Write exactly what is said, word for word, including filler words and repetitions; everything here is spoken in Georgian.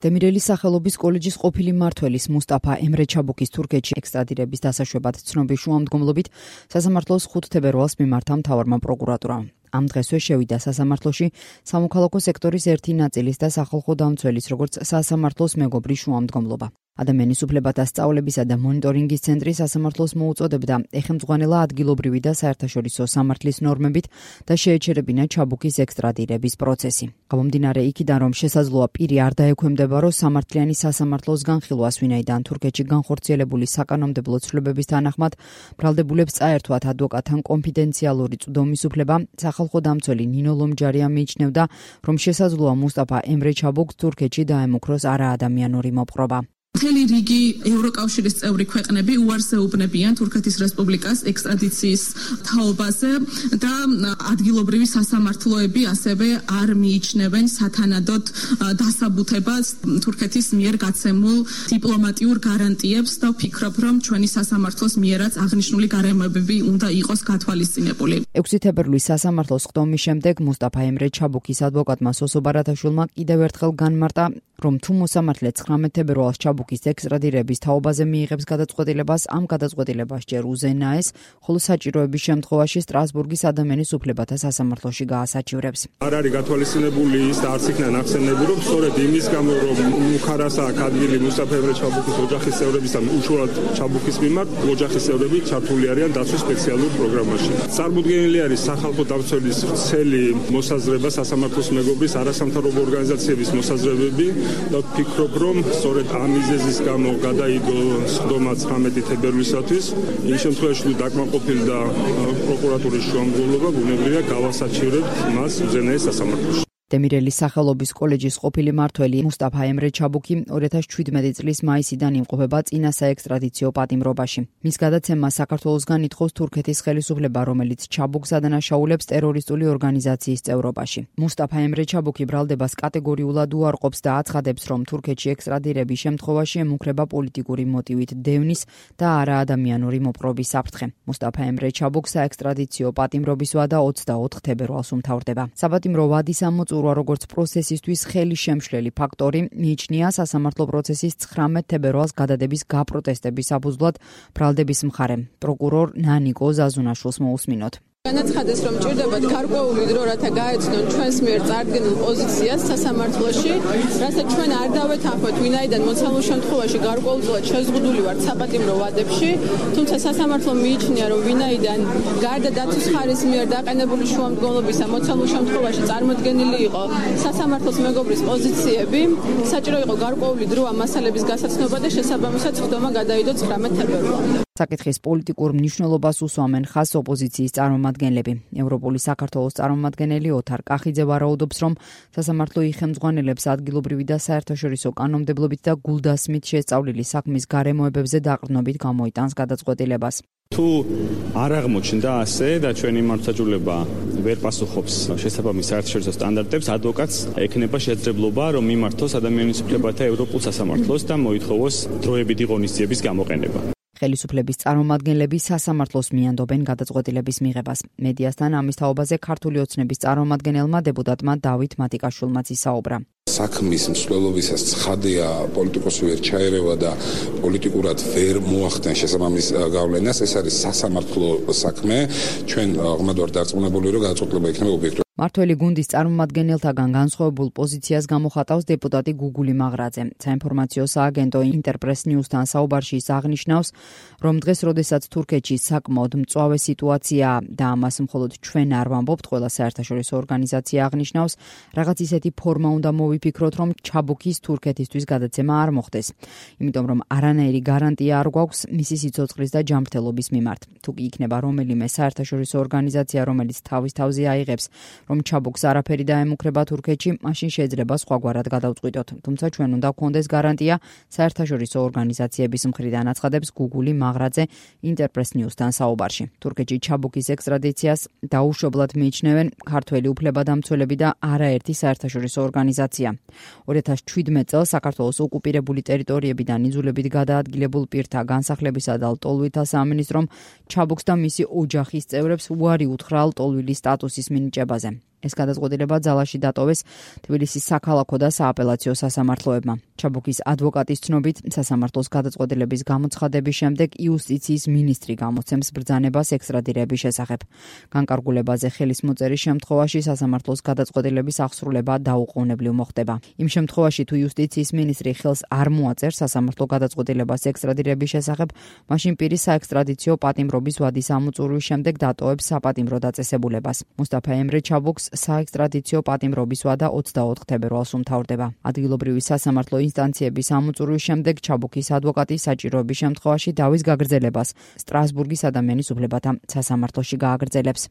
დემირელის სახელობის კოლეჯის ყოფილი მმართველის მუსტაფა ემრე ჩაბუკის თურქეთში ექსტრადირების დასაშვებად ცნობის შუამდგომლობით სასამართლოს ხუთ თებერვალს მიმართა მთავარმა პროკურატურამ. Ამ დღესვე შევიდა სასამართლოში სამოქალაქო სექტორის ერთი ნაწილის და სახალხო დამცველის, როგორც სასამართლოს მეგობრის შუამდგომლობა. ადამიანის უფლებათა სწავლებისა და მონიტორინგის ცენტრი სასამართლოს მოუწოდებდა ეხემძღვანელა ადგილობრივი და საერთაშორისო სამართლის ნორმებით და შეეჩერებინა ჩაბუკის ექსტრადირების პროცესი. გამომდინარე იქიდან, რომ შესაძლოა პირი არ დაექვემდებარო სამართლიანი სასამართლოს განხილვას, ვინაიდან თურქეთში განხორციელებული საკანონმდებლო ცვლილებების თანახმად ბრალდებულებს წაერთვათ ადვოკატთან კონფიდენციალური წვდომის უფლება, სახალხო დამცველი ნინო ლომჯარია მიიჩნევდა, რომ შესაძლოა მუსტაფა ემრე ჩაბუკს თურქეთში დაემუქროს არაადამიანური მოპყრობა. მთელი რიგი ევროკავშირის წევრი ქვეყნები უარსეუბნებიან თურქეთის რესპუბლიკას ექსტრადიციის თაობაზე და ადგილობრივი სასამართლოები ასევე არ მიიჩნევენ სათანადოდ დასაბუთებას თურქეთის მიერ გაცემულ დიპლომატიურ გარანტიებს და ვფიქრობ, რომ ჩვენი სასამართლოს მიერაც აღნიშნული გარემოებები უნდა იყოს გათვალისწინებული. ექვსი თებერვლის სასამართლოს ხდომის შემდეგ მუსტაფა ემრე ჩაბუკის ადვოკატმა სოსო ბარათაშვილმა კიდევ ერთხელ განმარტა, რომ თუ მოსამართლე ცხრამეტ თებერვალს ჩაბუკის ექსტრადირების თაობაზე მიიღებს გადაწყვეტილებას, ამ გადაწყვეტილებას ჯერ უზენაეს, ხოლო საჭიროების შემთხვევაში სტრასბურგის ადამიანის უფლებათა სასამართლოში გაასაჩივრებს. არ არის გათვალისწინებული ის და არც იქნა ნახსენები, რომ სწორედ იმის გამო, რომ მუხარასა ადგილი მუსტაფა ემრე ჩაბუკის ოჯახის წევრების და უშუალოდ ჩაბუკის მიმართ ოჯახის წევრები ჩართული არიან დაცვის სპეციალურ პროგრამაში. წარმოუდგენელი არის სახალხო დამცველის ვრცელი მოსაზრება სასამართლოს მეგობრის არასამთავრობო ორგანიზაციების მოსაზრებები და ვფიქრობ, რომ სწორედ ამ მიზეზის გამო გადაიდო სხდომა ცხრამეტი თებერვლისათვის. იმ შემთხვევაში, თუ დაკმაყოფილდა პროკურატურის შუამდგომლობა, ბუნებრივია გავასაჩივრებთ მას უზენაეს სასამართლოში. დემირელის სახელობის კოლეჯის ყოფილი მმართველი მუსტაფა ემრე ჩაბუკი ორი ათას ჩვიდმეტი წლის მაისიდან იმყოფება წინა საექსტრადიციო პატიმრობაში. მის გადაცემა საქართველოსგან ითხოვს თურქეთის ხელისუფლება, რომელიც ჩაბუკს ადანაშაულებს ტერორისტული ორგანიზაციის წევრობაში. მუსტაფა ემრე ჩაბუკი ბრალდებას კატეგორიულად უარყოფს და აცხადებს, რომ თურქეთში ექსტრადირების შემთხვევაში ემუქრება პოლიტიკური მოტივით დევნის და არაადამიანური მოპყრობის საფრთხე. მუსტაფა ემრე ჩაბუკს საექსტრადიციო პატიმრობის ვადა ოცდაოთხ თებერვალს უმთავრდება. საპატიმრო ვადის ამოწურვა როგორც პროცესისთვის ხელი შემშლელი ფაქტორი მიიჩნია სასამართლო პროცესის ცხრამეტ თებერვალს გადადების გაპროტესტების საფუძვლად ბრალდების მხარემ. პროკურორ ნანიკო ზაზუნაშვილს მოусმინოთ. განაცხადეს, რომ ჭირდებათ გარკვეული დრო, რათა გაეცნონ ჩვენს მიერ წარდგენილ პოზიციას სასამართლოში, რასაც ჩვენ არ დავეთანხმოთ, ვინაიდან მოცემულ შემთხვევაში გარკვეულწილად შეზღუდული ვართ საპატიმრო ვადებში, თუმცა სასამართლო მიიჩნია, რომ ვინაიდან გარდა დაცვის მხარის მიერ დაყენებული შუამდგომლობისა მოცემულ შემთხვევაში წარმოდგენილი იყო სასამართლოს მეგობრის პოზიციები, საჭირო იყო გარკვეული დრო ამ მასალების გასაცნობა და შესაბამისად სხდომა გადაიდო ცხრამეტ თებერვალამდე. საკითხის პოლიტიკურ მნიშვნელობას უსვამენ ხაზს ოპოზიციის წარმომადგენლები. ევროპული საქართველოს წარმომადგენელი ოთარ კახიძე ვარაუდობს, რომ სასამართლო იხემძღვანელებს ადგილობრივი და საერთაშორისო კანონმდებლობით და გულდასმით შესწავლილი საქმის გარემოებებზე დაყრდნობით გამოიტანს გადაწყვეტილებას. თუ არ აღმოჩნდა ასე და ჩვენი მართლმსაჯულება ვერ პასუხობს შესაბამის საერთაშორისო სტანდარტებს, ადვოკატს ექნება შესაძლებლობა, რომ მიმართოს ადამიანის უფლებათა ევროპულ სასამართლოს და მოითხოვოს დროებითი ღონისძიების გამოყენება. ხელისუფლების წარმომადგენლები სასამართლოს მიანდობენ გადაწყვეტილების მიღებას. მედიასთან ამის თაობაზე ქართული ოცნების წარმომადგენელმა დეპუტატმა დავით მატიკაშვილმაც ისაუბრა. საქმის მსვლელობისას ცხადია პოლიტიკოსი ვერ ჩაერევა და პოლიტიკურად ვერ მოახდენ შესაბამის გავლენას. ეს არის სასამართლო საქმე. ჩვენ ღრმად ვართ დარწმუნებული, რომ გადაწყვეტილება იქნება ობიექტური. მართველი გუნდის წარმომადგენელთაგან განსხვავებულ პოზიციას გამოხატავს დეპუტატი გუგული მაღრაძე. საინფორმაციო სააგენტო ინტერპრეს ნიუსთან საუბარში ის აღნიშნავს, რომ დღეს, როდესაც თურქეთში საკმაოდ მწვავე სიტუაციაა და ამას მხოლოდ ჩვენ არ ვამბობთ, ყველა საერთაშორისო ორგანიზაცია აღნიშნავს, რაღაც ისეთი ფორმა უნდა მოვიფიქროთ, რომ ჩაბუკის თურქეთისთვის გადაცემა არ მოხდეს. იმიტომ რომ არანაირი გარანტია არ გვაქვს მისი სიცოცხლის და ჯანმრთელობის მიმართ. თუ კი იქნება რომელიმე საერთაშორისო ორგანიზაცია, რომელიც თავის თავზე აიღებს, რომ ჩაბუკს არაფერი დაემუქრება თურქეთში, მაშინ შეიძლება სხვაგვარად გადავწყვიტოთ. თუმცა ჩვენ უნდა გვქონდეს გარანტია საერთაშორისო ორგანიზაციების მხრიდან, აცხადებს გუგული მაღრაძე ინტერპრეს ნიუსთან საუბარში. თურქეთში ჩაბუკის ექსტრადიციას დაუშვებლად მიიჩნევენ ქართველი უფლებადამცველები და არაერთი საერთაშორისო ორგანიზაცია. ორი ათას ჩვიდმეტ წელს საქართველოს ოკუპირებული ტერიტორიებიდან იძულებით გადაადგილებულ პირთა განსახლებისა და ლტოლვილთა სამინისტრომ ჩაბუკს და მისი ოჯახის წევრებს უარი უთხრა ლტოლვილის სტატუსის მინიჭებაზე. ეს გადაწყვეტილება ძალაში დატოვეს თბილისის საქალაქო და სააპელაციო სასამართლოებმა. ჩაბუქის ადვოკატის ცნობით, სასამართლოს გადაწყვეტილების გამოცხადების შემდეგ იუსტიციის მინისტრი გამოცემს ბრძანებას ექსტრადირების შესახებ. განკარგულებაზე ხელის მოწერის შემთხვევაში სასამართლოს გადაწყვეტილების აღსრულება დაუყოვნებლივ მოხდება. იმ შემთხვევაში, თუ იუსტიციის მინისტრი ხელს არ მოაწერს სასამართლო გადაწყვეტილებას ექსტრადირების შესახებ, მაშინ პირის საექსტრადიციო პატიმრობის ვადის ამოწურვის შემდეგ დატოვებს საპატიმრო დაწესებულებას. მუსტაფა ემრე ჩაბუქს საექსტრადიციო პატიმრობის ვადა ოცდაოთხ თებერვალს უმთავრდება. ადგილობრივი სასამართლო ინსტანციების ამოწურვის შემდეგ ჩაბუქის ადვოკატი საჭიროების შემთხვევაში დავის გაგრძელებას სტრასბურგის ადამიანის უფლებათა სასამართლოში გააგრძელებს.